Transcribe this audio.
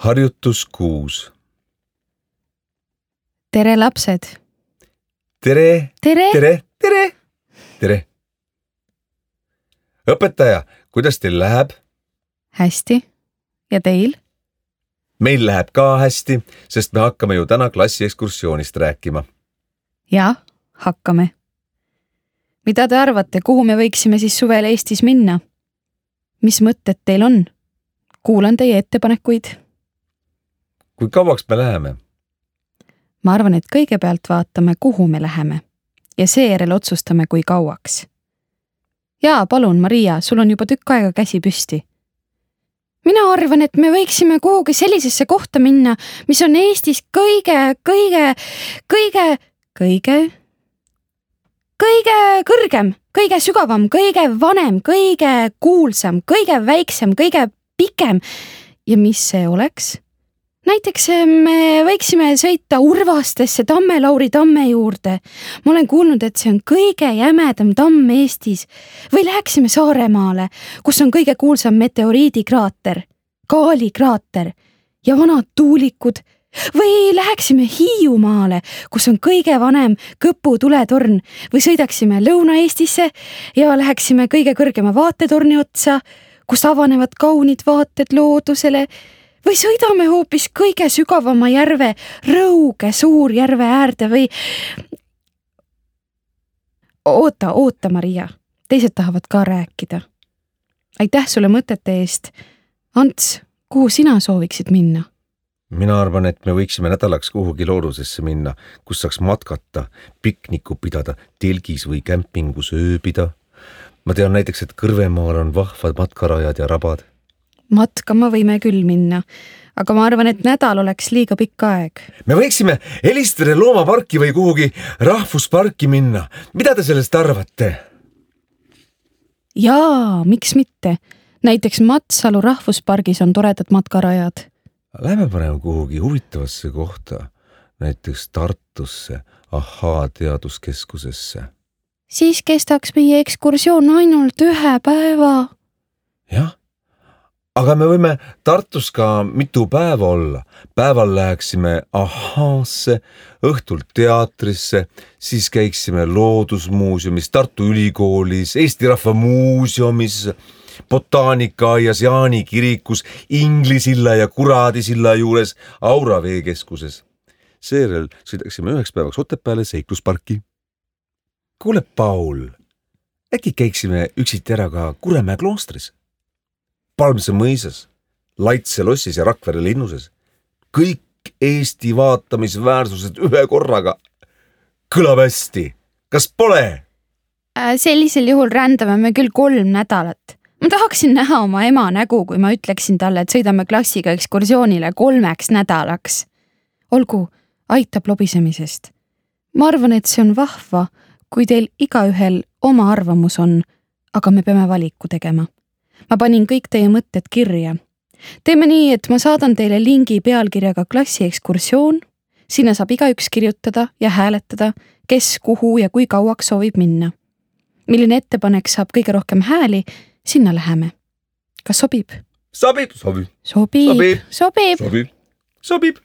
Harjutus 6. Tere lapsed! Tere! Tere! Tere! Tere! Tere! Õpetaja, kuidas teil läheb? Hästi. Ja teil? Meil läheb ka hästi, sest me hakkame ju täna klassi ekskursioonist rääkima. Ja, hakkame. Mida te arvate, kuhu me võiksime siis suvel Eestis minna? Mis mõtted teil on? Kuulan teie ettepanekuid. Kui kauaks me läheme? Ma arvan, et kõigepealt vaatame, kuhu me läheme ja seejärel otsustame, kui kauaks. Jaa, palun, Maria, sul on juba tükk aega käsi püsti. Mina arvan, et me võiksime kuhugi sellisesse kohta minna, mis on Eestis kõige kõrgem, kõige sügavam, kõige vanem, kõige kuulsam, kõige väiksem, kõige pikem. Ja mis see oleks? Näiteks me võiksime sõita Urvastesse Tamme-Lauri tamme juurde. Ma olen kuulnud, et see on kõige jämedam tamm Eestis. Või läheksime Saaremaale, kus on kõige kuulsam meteoriidikraater, Kaali kraater ja vanad tuulikud. Või läheksime Hiiumaale, kus on kõige vanem Kõpu tuletorn. Või sõidaksime Lõuna-Eestisse ja läheksime kõige kõrgema vaatetorni otsa, kus avanevad kaunid vaated loodusele. Või sõidame hoopis kõige sügavama järve, Rõuge Suurjärve äärde või... Oota, Maria. Teised tahavad ka rääkida. Aitäh sulle mõtete eest. Ants, kuhu sina sooviksid minna? Mina arvan, et me võiksime nädalaks kuhugi loodusesse minna, kus saaks matkata, pikniku pidada, telgis või kämpingus ööbida. Ma tean näiteks, et Kõrvemaal on vahvad matkarajad ja rabad. Matkama võime küll minna, aga ma arvan, et nädal oleks liiga pikk aeg. Me võiksime Elistere loomaparki või kuhugi rahvusparki minna. Mida te sellest arvate? Jaa, miks mitte? Näiteks Matsalu rahvuspargis on toredad matkarajad. Lähme parem kuhugi huvitavasse kohta, näiteks Tartusse, Ahaa teaduskeskusesse. Siis kestaks meie ekskursioon ainult 1 päeva. Jah. Aga me võime Tartus ka mitu päeva olla. Päeval läheksime Ahaasse, õhtul teatrisse, siis käiksime Loodusmuuseumis, Tartu Ülikoolis, Eesti Rahva Muuseumis, Botaanikaaias, Jaani kirikus, Inglisilla ja Kuradisilla juures, Aura veekeskuses. Seejärel sõidaksime 1 päevaks Otepääle seiklusparki. Kuule, Paul, äkki käiksime üksiti ära ka Kuremäe kloostris? Palmse mõisas, Laitse lossis ja Rakvere linnuses. Kõik Eesti vaatamisväärsused 1 korraga. Kõlab hästi. Kas pole? Sellisel juhul rändame me küll 3 nädalat. Ma tahaksin näha oma ema nägu, kui ma ütleksin talle, et sõidame klassiga ekskursioonile 3 nädalaks. Olgu, aitab lobisemisest. Ma arvan, et see on vahva, kui teil igaühel oma arvamus on, aga me peame valiku tegema. Ma panin kõik teie mõtted kirja. Teeme nii, et ma saadan teile lingi pealkirjaga klassi ekskursioon. Sinna saab igaüks kirjutada ja hääletada, kes, kuhu ja kui kauaks soovib minna. Milline ettepanek saab kõige rohkem hääli, sinna läheme. Kas sobib? Sobib. Sobib.